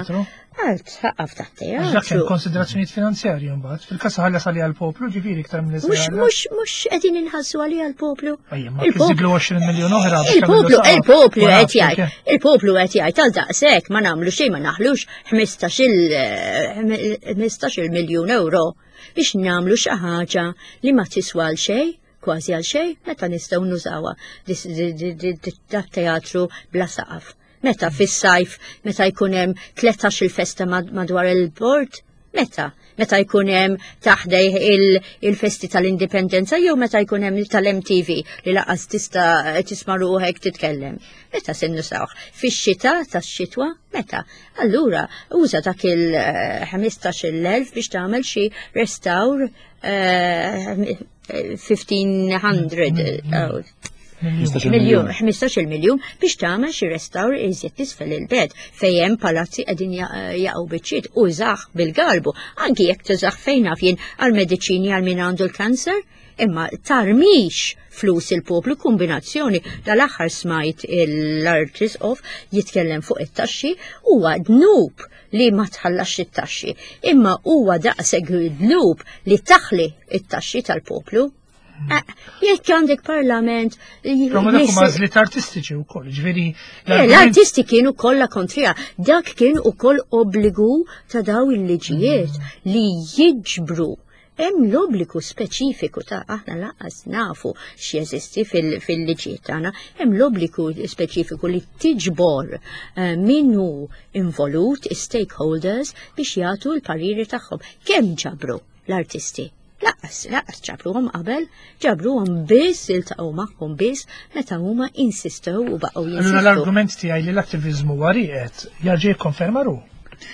Għal tħaqqaf ta' teatru. Dak hemm konsiderazzjonijiet finanzjarji mbagħad. Fil-każ ħallas għalija l-poplu, ġifieri iktar minn Mhux mhux mhux qegħdin inħassu għalija l-poplu. Il-poplu 20 miljun oħra. Il-poplu il-poplu qed jgħid. Il-poplu qed jgħid għal daqshekk ma nagħmlu xejn ma naħlux 15 eh, miljun euro biex nagħmlu xi ħaġa li ma tiswa għal xejn kważi għal xejn meta nistgħu nużawha dat teatru bla saqaf. Meta fis-sajf, meta jkun hemm 13 il-festa madwar il-bord? Meta? Meta jkun hemm taħdej il-festi tal-indipendenza jew meta jkun hemm tal-MTV li laqas tista' tisma' ruħek titkellem. Meta se nusawh? Fix-xita tax-xitwa? Meta? Allura, uża dak il-15,000 biex tagħmel xi restawr 1500 miljun, 15 miljun biex tagħmel xi restawr iżjed tisfel il-bed fejn hemm palazzi qegħdin jaqgħu biċċiet u żaħ bil-galbu, anki jekk tużaħ fejn naf jien għall-mediċini għal min għandu l-kanser, imma tarmix flus il-poplu kombinazzjoni dal-aħħar smajt l-Arċisqof jitkellem fuq it-taxxi huwa dnub li ma tħallax it-taxxi, imma huwa daqshekk dnub li taħli it-taxxi tal-poplu. Eh, jekk għandek parlament. Però ma dak huma għażliet artistiċi wkoll, ġifieri. Eh, l-artisti kienu kollha kontrija. Dak kien ukoll obbligu ta' daw il-liġijiet mm. li jiġbru hemm l-obbligu speċifiku ta' aħna laqas nafu x'jeżisti fil-liġijiet tagħna, hemm l-obbligu speċifiku li tiġbor eh, min hu involut, stakeholders biex jagħtu l-pariri tagħhom. Kemm ġabru l-artisti? Laqas, laqas ġabruhom qabel, ġabruhom biss iltaqgħu magħhom biss meta huma insistew u baqgħu jinsistu. Allura l-argument tiegħi li l-attiviżmu huwa rieqed jarġa' jikkonferma ruħu.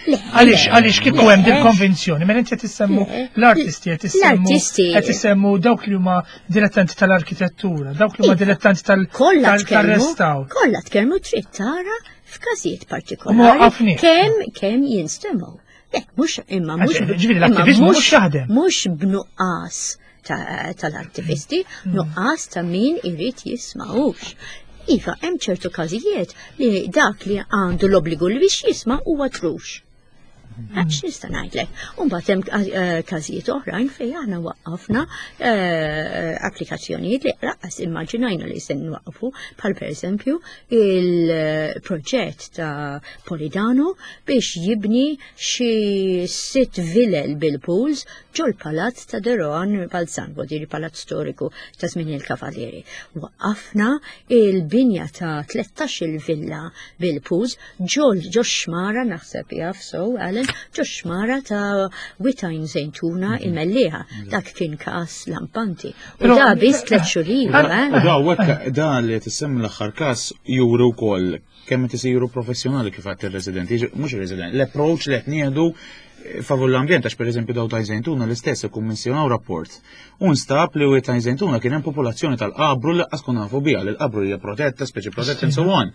Għaliex għaliex kieku hemm din konvinzjoni, mela inti qed issemmu l-artisti qed issemmu qed issemmu dawk li huma dilettanti tal-arkitettura, dawk li huma dilettanti tal-restawr. Kollha tkellmu trid tara f'każijiet partikolari kemm kemm jinstemgħu. Le, mhux imma mhux. Ġifieri l-attiviżmu mhux jaħdem. Mhux b'nuqqas tal-attivisti, mm. nuqqas ta' min irid jisma'ux. Iva, hemm ċertu każijiet li dak li għandu l-obbligu li biex jisma' huwa trux. Mm. Għax nista' ngħidlek. U mbagħad hemm eh, każijiet oħrajn fejn aħna waqqafna eh, applikazzjonijiet li laqas immaġinajna li se nwaqqfu bħal pereżempju il-proġett ta' Polidano biex jibni xi sitt vilel bil-pools ġol-palazz ta' Deroan Balzan, diri palazz storiku ta' żmien il-Kavalieri. Waqqafna il-binja ta' 13 il-villa bil-pools ġol ġo xmara naħseb jaf so Alan ġo xmara ta' Witajn Zejtuna mhm. il-Mellieħa. Dak kien każ lampanti. U da biss tliet xhur ilu, eh? Da da li tissemmi l-aħħar każ juri wkoll kemm qed isiru professjonali kif għadt ir-residenti, mhux ir-residenti, l-approach li qed nieħdu favur l-ambjent għax pereżempju daw ta' Żejtuna l-istess ikkummissjonaw rapport. U nstab li ta' Żejtuna kien hemm popolazzjoni tal-qabru li qas nafu biha li l-qabru hija protetta, speċi protetta and so on.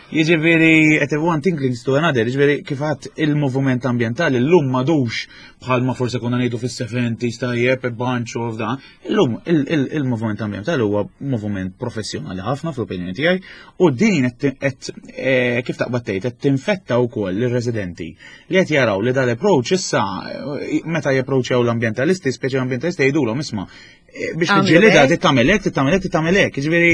Jiġifieri qed one thing leads to another, jiġifieri kif għadd il-moviment ambjentali llum m'għadux bħalma forse konna ngħidu fis-70s tajjeb bunch of da. Illum il-moviment ambjentali huwa moviment professjonali ħafna fl-opinjoni tiegħi u din qed eh, kif taqbad tgħid qed tinfetta wkoll lir-residenti li qed jaraw li dal-approach issa eh, meta japproċċjaw l-ambjentalisti, speċi l-ambjentalisti jgħidulhom isma' eh, biex tiġġielidha trid tagħmel hekk, trid tagħmel hekk, trid tagħmel hekk. Jiġifieri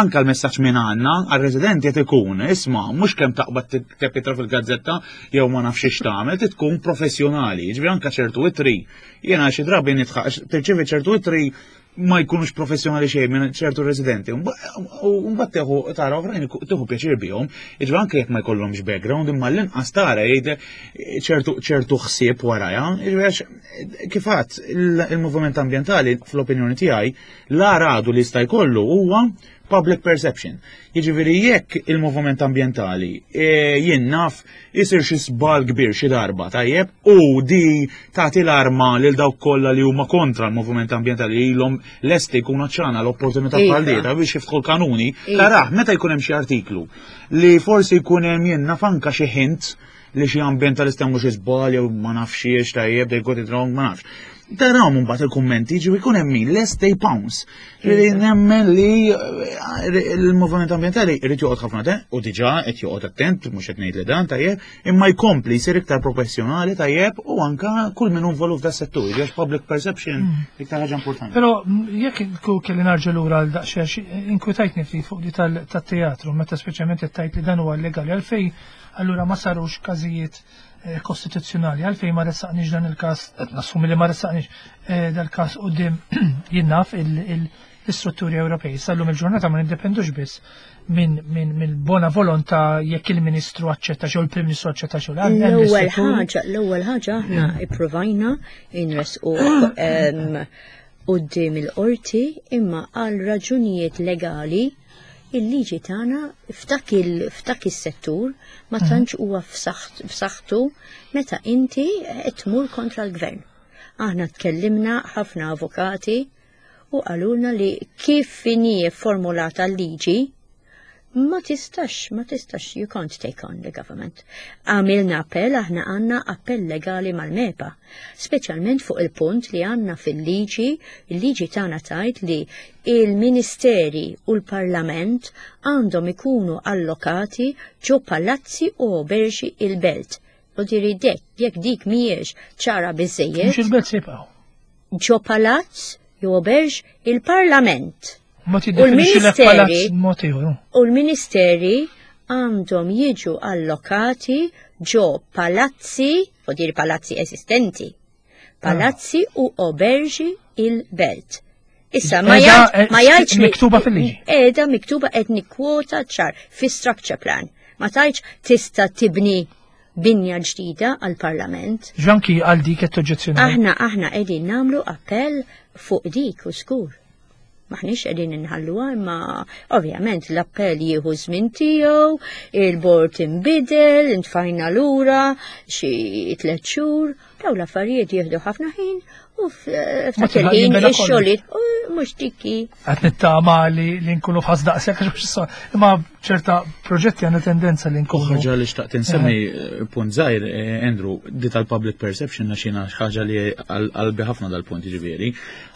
anke l-messaġġ minn għandna għar-residenti qed ikun isma' mhux kemm taqbad tikteb fil-gazzetta jew ma nafx x'tagħmel, tagħmel, trid tkun professjonali. Jiġifieri anke ċertu ittri Jiena xi drabi nitħaq tirċievi ċertu ittri ma jkunux professjonali xejn minn ċertu residenti. U mbagħad tieħu tara oħrajn tieħu pjaċir bihom, jiġri anke jekk ma jkollhomx background imma l-inqas tara jgħid ċertu ċertu ħsieb warajha. Jiġri għax kif għadd il-moviment ambjentali fl-opinjoni tiegħi la radu li jista' jkollu huwa public perception. Jiġifieri jekk il-moviment ambjentali e, jien naf isir xi żball kbir xi darba, tajjeb, u di tagħti l-arma lil dawk kollha li huma kontra l-moviment ambjentali li ilhom lesti jkunu ċana l-opportunità iva. bħal dieta biex jiftħu l-kanuni, iva. taraħ meta jkun hemm xi artiklu li forsi jkun hemm jien naf anka xi hint li xi ambientalist għamlu xi żball jew ma nafx xiex tajjeb they got it wrong ma nafx. Tarawhom mbagħad il-kummenti ġiwi jkun hemm min lest they pounce. Ġifieri nemmen li eh, l-moviment ambjentali jrid joqgħod ħafna te u diġà qed joqgħod attent mhux qed ngħid li dan tajjeb, imma jkompli jsir iktar professjonali tajjeb u anka kull min hu involut f'da settur, għax public perception hmm. iktar ħaġa importanti. Però mm, jekk kelli narġa' lura għal daqsxejn inkwitajtni ftit fuq di tat-teatru meta speċjalment qed tgħid li dan huwa legali għalfejn allura ma sarux każijiet eh, kostituzzjonali għalfejn ma ressaqniex dan il-każ, qed nassumi li ma ressaqniex eh, dal-każ quddiem jien naf l-istrutturi Ewropej. Sallum il-ġurnata ma niddependux biss minn min, min bona volontà jekk il-Ministru aċċetta xew il-Prim Ministru aċċetta xew. L-ewwel ħaġa, l-ewwel ħaġa aħna ippruvajna inresqu quddiem il-qorti imma għal raġunijiet legali il-liġi tagħna f'dak f'dak is-settur ma mhm. tantx huwa f'saħħtu meta inti qed tmur kontra l-gvern. Aħna tkellimna ħafna avukati u qalulna li kif inhi formulata l-liġi ma tistax, ma tistax, you can't take on the government. Għamilna appell, aħna għanna appell legali mal-MEPA, speċjalment fuq il-punt li għanna fil-liġi, il-liġi tagħna tajt li il-ministeri u l-parlament għandhom ikunu allokati ġo palazzi u oberġi il-belt. U diri dek, jekk dik mhijiex ċara biżejjed. Mhux il-belt se jibqgħu. Ġo palazz jew oberġ il-parlament. U l-ministeri u l-ministeri għandhom jiġu allokati ġo palazzi, u dir palazzi esistenti, palazzi ah. u oberġi il-belt. Issa ma jgħidx miktuba fil-liġi. Qiegħda miktuba qed nikkwota ċar fi structure plan. Ma tgħidx tista' tibni binja ġdida għall-Parlament. Ġanki għal dik qed toġġezzjonaw. Aħna aħna qegħdin nagħmlu appell fuq dik u skur. Maħniex qegħdin inħalluha imma ovvjament l-appell jieħu żmien tiegħu, il-bord inbidel, intfajna lura xi tliet xhur, daw l-affarijiet jieħdu ħafna ħin u f'dak il-ħin ix-xogħlijiet mhux dikki. Qed nittama li nkunu f'ħas daqshekk imma ċerta proġetti għandna tendenza li nkunu. Ħaġa li xtaqt insemmi eh, punt żgħir, eh, Andrew, di tal-public perception għax jiena ħaġa li qalbi ħafna dal-punt jiġifieri.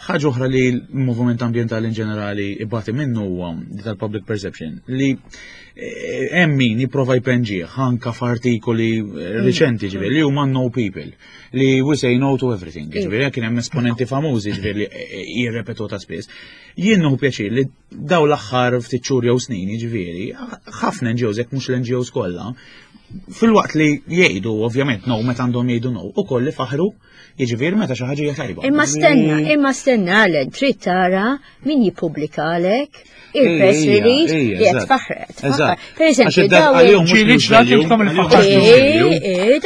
Ħaġa oħra li l-moviment ambjentali in ġenerali ibati minnu huwa di tal-public perception li eh, hemm min jipprova jpenġih anka f'artikoli eh, mm. riċenti ġifieri li huma no people li we say no to everything ġifieri kien hemm esponenti famużi ġifieri li eh, jirrepetu ta' spiss. Jien nieħu pjaċir li daw l-aħħar ftit xhur jew snin ġifieri ħafna NGOs jekk mhux l-NGOs kollha fil-waqt li jgħidu ovvjament no meta għandhom jgħidu no ukoll li faħru Jiġifieri meta xi ħaġa hija tajba. Imma stenna, imma stenna għalen, trid tara min jippubblikalek il-press release li qed faħret. Per eżempju, daw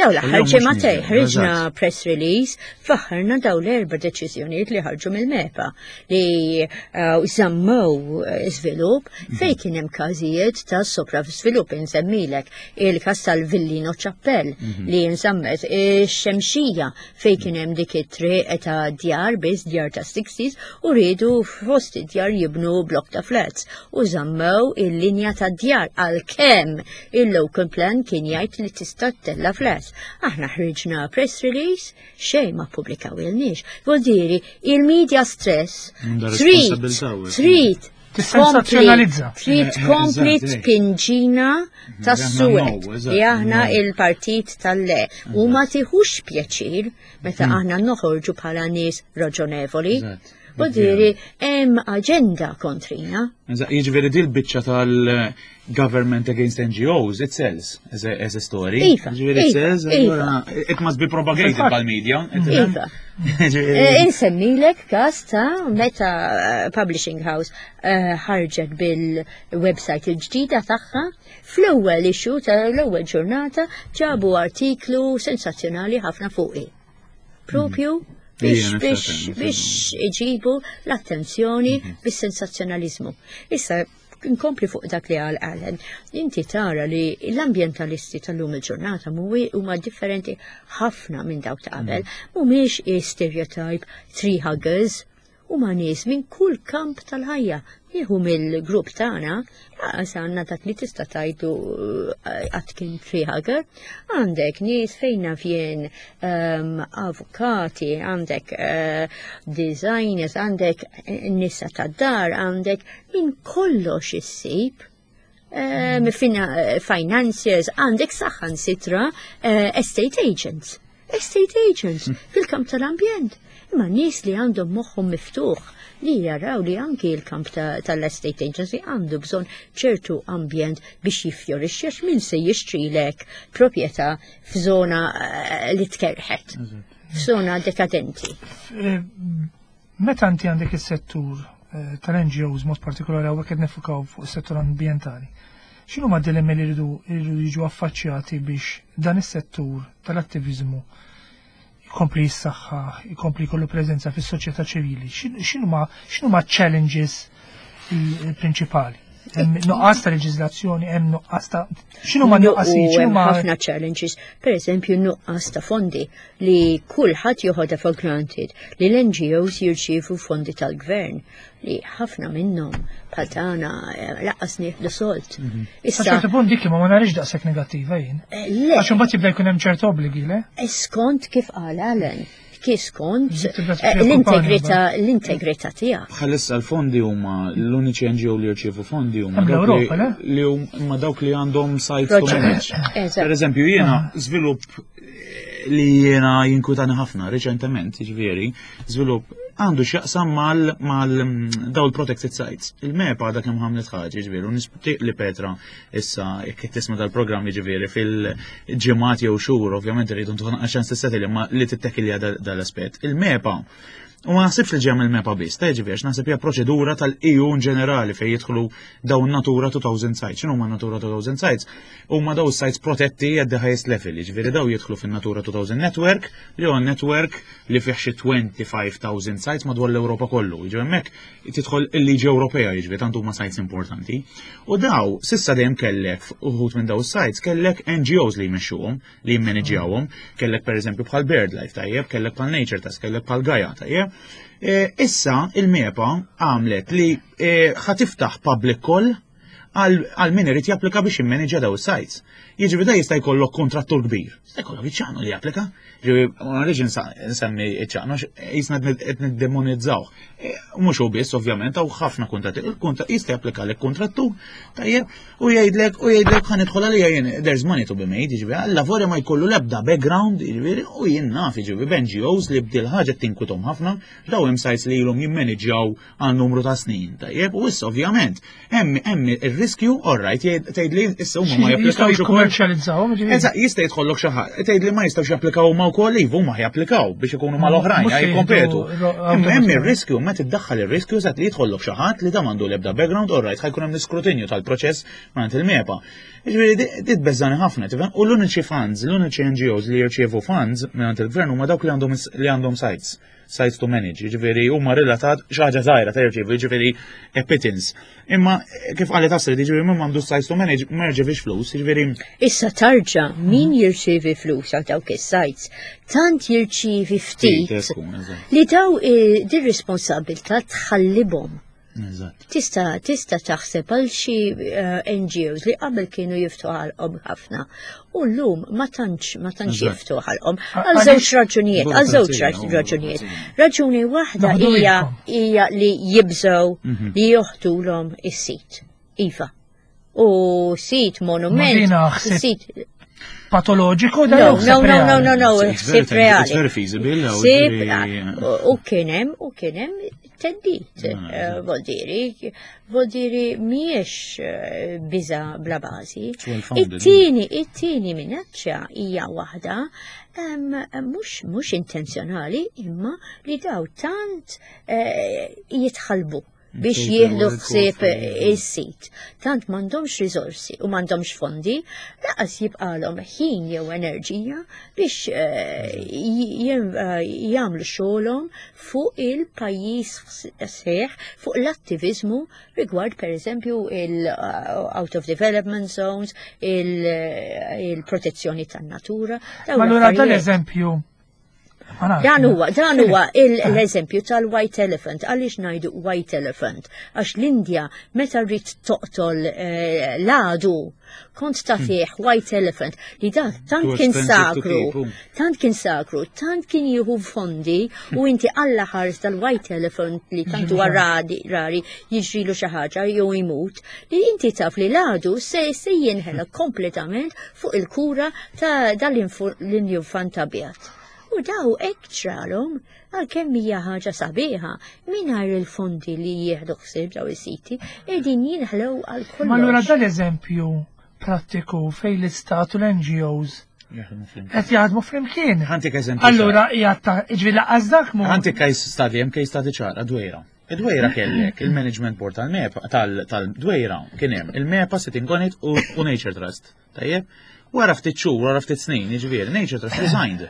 daw l-aħħar ġimgħatej ħriġna press release faħħarna daw l-erba' deċiżjonijiet li ħarġu mill-MEPA li eh, żammew eh, żvilupp fejn kien hemm każijiet ta' sopravżvilupp insemmilek il-każ tal-Villino Chapel mhm. li jinżammet ix-xemxija fejn kien hemm dik it-triq ta' djar biss djar ta' 60s u riedu fost id-djar jibnu blok ta' flats u żammew il-linja ta' djar għalkemm il-local plan kien jgħid li tista' ttella' flats. Aħna ħriġna press release xejn ma ppubblikawilniex. Vuol il-media stress trid trid Tissensazzjonalizza. Trid tkompli tpinġina tas-suwed li aħna il-partit tal-le u ma tiħux pjaċir meta mhm. aħna noħorġu bħala nies raġonevoli. U diri hemm aġenda kontrina. Jiġifieri dil biċċa tal-government against NGOs, it sells as a, as a story. Iva, jiġifieri it iva, sells, iva. it must be propagated by-media. Iva. Eh, insemmilek każ ta' meta eh, Publishing House eh, ħarġet bil-website il-ġdida tagħha, fl-ewwel issue tal-ewwel ġurnata ġabu artiklu sensazzjonali ħafna fuqi. Propju mhm. biex biex biex iġibu l-attenzjoni mhm. bis-sensazzjonaliżmu. Issa Inkompli fuq dak li qal Alan, inti tara li l-ambjentalisti tal-lum il-ġurnata huma differenti ħafna minn dawk ta' qabel, mm. mhumiex stereotype tree huggers, huma nies minn kull kamp tal-ħajja. Nieħu mill-grupp tagħna, laqas għandna dak li tista' tajdu eh, qatt kien tree hugger, għandek nies fejn naf jien um, avukati, għandek uh, designers, għandek eh, nisa tad-dar, għandek minn kollox issib. Um, financiers, għandek saħan sitra uh, estate agents. Estate agents hmm. fil-kamp tal-ambjent. Imma nies li għandhom moħħhom miftuħ li jaraw li anki l-kamp tal-estate agency għandu bżonn ċertu ambjent biex jiffjorixxi għax min se jixtrilek proprjetà f'żona eh, li tkerħet, f'żona dekadenti. Eh, meta inti għandek is-settur eh, tal-NGOs mod partikolari hawnhekk qed nifukaw fuq is-settur ambjentali, x'inhu ma dilemmi li jridu jiġu affaċċjati biex dan is-settur tal-attiviżmu jkompli jissaħħaħ, jkompli jkollu preżenza fis-soċjetà ċivili? X'inhuma challenges il-prinċipali? Hemm nuqqas ta' leġiżlazzjoni, hemm nuqqas ta' x'inhu ma nuqqasijiet, x'inhu ma ħafna challenges, pereżempju nuqqas ta' fondi li kulħadd joħodha for granted li l-NGOs jirċievu fondi tal-gvern li ħafna minnhom bħal tagħna eh, laqqas nieħdu solt. Mhm. Issa ċertu punt dik ma narix daqshekk negattiva jien. Eh, le. Għax imbagħad jibda jkun hemm ċertu obbligi, le? Eh, skont kif qal Alan, kif skont l-integrità l-integrità tiegħek. Bħalissa l-fondi huma l-uniċi NGO li jirċievu fondi huma li huma dawk li għandhom sites to manage. Per eżempju jiena ah. żvilupp li jiena jinkwitani ħafna reċentement, jiġifieri, żvilupp għandu x'jaqsam mal mal mm, daw il-protected sites. Il-MEPA għadha kemm ħamlet ħaġa, jiġifieri, u nisptiq li Petra issa jekk tisma' dal-programm jiġifieri fil-ġimgħat jew xhur, ovvjament irridu ntuħu naqra ċans tissetil imma li tittekilja dal-aspett. Il-MEPA U ma naħsibx li ġem il-MEPA biss, ta' ġifieri naħseb hija proċedura tal-EU in ġenerali fejn jidħlu dawn Natura 2000 sites. X'inhu ma Natura 2000 sites? Huma daw sites protetti at the highest level, jiġifieri daw jidħlu fin-Natura 2000 network li huwa network li fih xi 25,000 sites madwar l-Ewropa kollu. Jiġifieri hemmhekk tidħol il-liġi Ewropea jiġifieri tant huma sites importanti. U daw sissa dejjem kellek uħud minn daw sites kellek NGOs li jmexxuhom, li jimmaniġjawhom, kellek pereżempju bħal BirdLife tajjeb, kellek bħal Nature Task, kellek bħal Gaia tajjeb. E, issa il-MEPA għamlet li e, ħatiftaħ public call għal min irid japplika biex jimmanġja daw is-sites. Jiġifieri da jista' jkollok kontrattur kbir. Jista' jkollok iċ-ċanu li japplika. Ġifieri ma rridx nsemmi iċ-ċanu jisna qed niddemonizzaw. E, mhux hu biss ovvjament hawn ħafna kuntratti. Il-kuntratt jista' japplika lek kontrattur tajjeb u jgħidlek u jgħidlek ħa nidħol għalija jien there's money to be made, jiġifieri alla volja ma jkollu l-ebda background, jiġifieri u jien naf jiġifieri b'NGOs li bdil ħaġa tinkwithom ħafna, daw hemm sites li ilhom jimmaniġġjaw għal numru ta' snin, tajjeb, u issa ovvjament, hemm hemm ir-riskju, all right, tgħid li issa huma ma japplikawx ukoll. Jikkummerċjalizzawhom, ġifieri. Eżatt, jista' jidħollok xi ħadd, tgħid li ma jistgħux japplikaw huma wkoll, iva huma japplikaw biex ikunu mal-oħrajn, jikkompetu. Hemm ir-riskju, meta tiddaħħal ir-riskju eżatt li jidħollok xi ħadd li da m'għandu l-ebda background, all right, ħajkun hemm l-iskrutinju tal-proċess mingħand il-MEPA. Ġifieri dit beżani ħafna, tifhem? U l-uniċi funds, l-uniċi NGOs li jirċievu funds mingħand il-gvern huma dawk li għandhom li għandhom sites. sites to manage, jiġifieri huma relatat xi ħaġa żgħira ta' jirċievu, jiġifieri a pittance. Imma kif qalet Astrid, jiġifieri min m'għandux sites to manage ma jirċevix flus, jiġifieri. Issa tarġa' min jirċievi flus għal dawk is-sites, tant jirċievi ftit li daw eh, din responsabilità tħallibhom. Tista' tista' taħseb għal xi eh, NGOs li qabel kienu jiftu ħalqhom ħafna u llum ma tantx ma tantx jiftu ħalqhom għal żewġ raġunijiet, għal żewġ raġunijiet. Raġuni waħda hija hija li jibżgħu mhm. li joħtulhom is-sit. Iva. U sit monument, sit patoloġiku da No, no, no, no, no, no, ħsieb reali. It's very feasible. Ħsieb u kien hemm u kien hemm teddit, eh, voldiri, voldiri mhijiex eh, biża bla bażi. It-tieni, it-tieni minaċċa hija waħda mhux mhux intenzjonali imma li daw tant eh, jitħalbu biex jieħdu ħsieb is-sit. Tant m'għandhomx riżorsi u m'għandhomx fondi, laqas jibqalhom ħin jew enerġija biex eh, eh, jagħmlu xogħolhom fuq il-pajjiż sħiħ, fuq l-attiviżmu rigward pereżempju il-out of development zones, il-protezzjoni tan-natura. Ma allura dal-eżempju Dan huwa, dan huwa l-eżempju tal-white elephant. Għaliex ngħidu white elephant? Għax l-Indja meta rrid toqtol eh, l-għadu kont tagħtih white elephant li dak tant kien sakru, tant kien sakru, tant kien jieħu fondi u inti alla ħares tal-white elephant li tant huwa rari rari jiġrilu xi ħaġa jew imut li inti taf li l-għadu se se jinħela kompletament fuq il-kura ta' dal-infant abjad. U daw hekk ġralhom għalkemm hija ħaġa sabiħa mingħajr il-fondi li jieħdu ħsieb daw is-siti qegħdin jinħlew għal kollox. Ma allura dal-eżempju prattiku fejn l-istat u l-NGOs qed jaħdmu flimkien. Ħantik eżempju. Allura hija ta' ġifieri laqqas dak mu. Ħantik case study, hemm case study ċara dwejra. Id-dwejra kellek il-management board tal-MEPA tal-dwejra kien hemm il-MEPA sitting on it u Nature Trust. Tajjeb? Wara ftit xhur, wara ftit snin, jiġifieri Nature Trust resigned.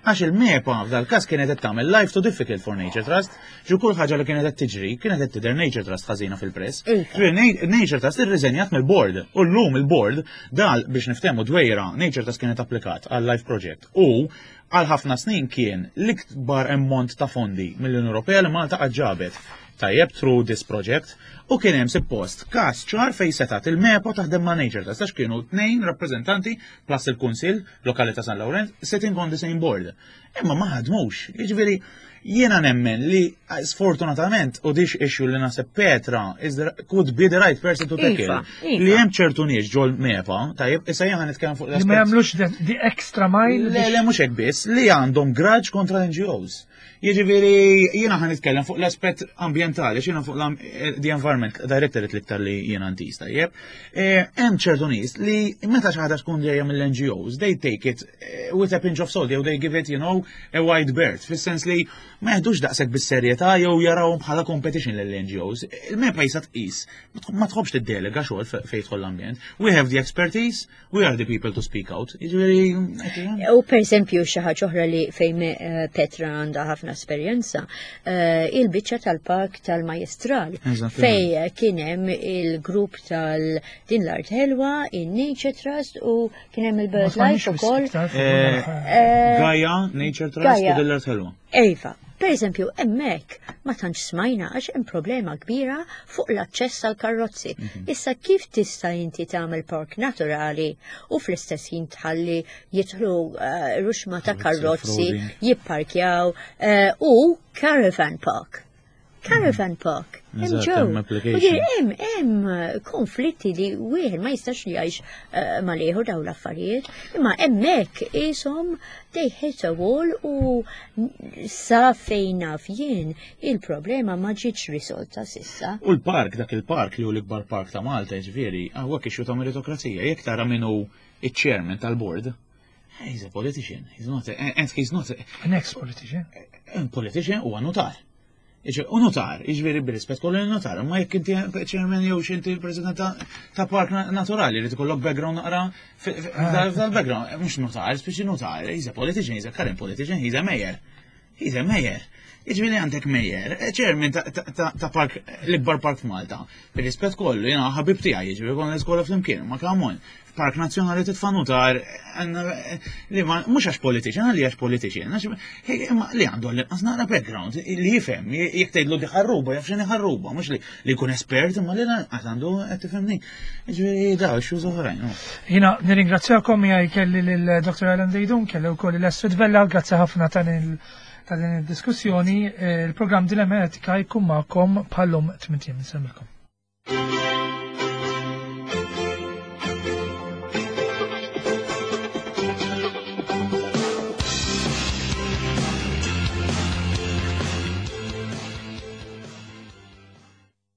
Għax il-MEPA f'dal każ kienet qed tagħmel life too difficult for Nature Trust, ġu kull ħaġa li kienet qed tiġri, kienet qed tidher Nature Trust ħażina fil-press. Ġifieri Nature Trust irriżenjat mill-board u llum il-board dal biex niftehmu dwejra Nature Trust kienet applikat għal life project u għal ħafna snin kien l-ikbar ammont ta' fondi mill-Unjoni Ewropea li Malta qatt ġabet. Tajjeb through this project u kien hemm suppost każ ċar fejn setat il-MEPA taħdem ma' Nature Trust għax kienu tnejn rappreżentanti plus il-Kunsill Lokali ta' San Lawrenz sitting on the same board. Imma ma ħadmux. Jiġifieri jiena nemmen li sfortunatament u dix issue li naħseb Petra is the, could be the right person to tackle. Iva, iva. Li hemm ċertu nies ġol MEPA, tajjeb, issa jiena nitkellem fuq Li ma jagħmlux the extra mile. Le, le, mhux hekk biss, li għandhom grudge kontra l-NGOs. Jiġifieri jiena ħa nitkellem fuq l-aspett ambjentali, jiena fuq eh, the environment directorate l-iktar li jiena ntis tajjeb. Eh, hemm ċertu nies li meta xi ħaġa tkun ġejja mill-NGOs, they take it eh, with a pinch of salt, jew they give it, you know, a wide berth, fis-sens li ma jeħdux daqshekk bis-serjetà jew jarawhom bħala competition lill-NGOs. Il-MEPA jisa tqis, ma tħobbx tiddelega xogħol fejn jidħol l-ambjent. We have the expertise, We are the people to speak out. Jiġifieri. U per eżempju xi ħaġa oħra li fejn eh, Petra għandha ħafna esperjenza, eh, il-biċċa tal-park tal-Majestral fej kien hemm il-grupp tal-din l-art ħelwa, in-Nature Trust u kien hemm il-Bird Life ukoll. Eh, Gaia, Nature Trust u din l-art ħelwa. Iva, per eżempju, hemmhekk ma tantx smajna għax hemm problema kbira fuq l-aċċess għal karrozzi. Mhm. Issa kif tista' inti tagħmel park naturali u fl-istess ħin tħalli jidħlu eh, ruxma ta' karrozzi, jipparkjaw eh, u caravan park. Caravan park. Hemm ġew. Hemm hemm konflitti li wieħed ma jistax jgħix eh, mal-ieħor dawn l-affarijiet, imma hemmhekk ishom they hit a wall u sa fejn naf jien il-problema ma ġietx risolta sissa. U l-park, dak il-park li hu l-ikbar park ta' Malta, ġifieri, hawnhekk issue ta' meritokrazija, jekk tara min hu iċ-chairman tal-board, He's a politician. He's not a, and he's not a, an ex-politician. A politician huwa notar. U notar, jiġifieri bir-rispett kollu notar, ma jekk inti chairman jew xinti president ta' park naturali li tkollok background naqra dal-background, mhux notar, speċi notar, he's a politician, he's a current politician, he's a mayor. He's a mayor. Jiġifieri għandek mayor, eh, chairman ta' park, l-ikbar park f'Malta. Bir-rispett kollu, jiena ħabib tiegħi, jiġifieri konna l-iskola flimkien, ma come on. Park Nazzjonali titfa' nutar li ma mhux għax politiċi, għalli għax politiċi, imma li għandu għall-inqas naqra background, li jifhem, jekk tgħidlu di ħarruba, jaf x'inhi ħarruba, mhux li jkun espert, imma li lanqas għandu qed tifhimni. Jiġifieri daw issues oħrajn. Jiena nirringrazzjakom miegħi kelli lil Dr. Alan Deidun, kelli wkoll l-Astrid Vella, grazzi ħafna ta' ta' din id-diskussjoni. Eh, il-programm Dilemma Etika jkun magħkom bħallum 8 Nsemmilkom.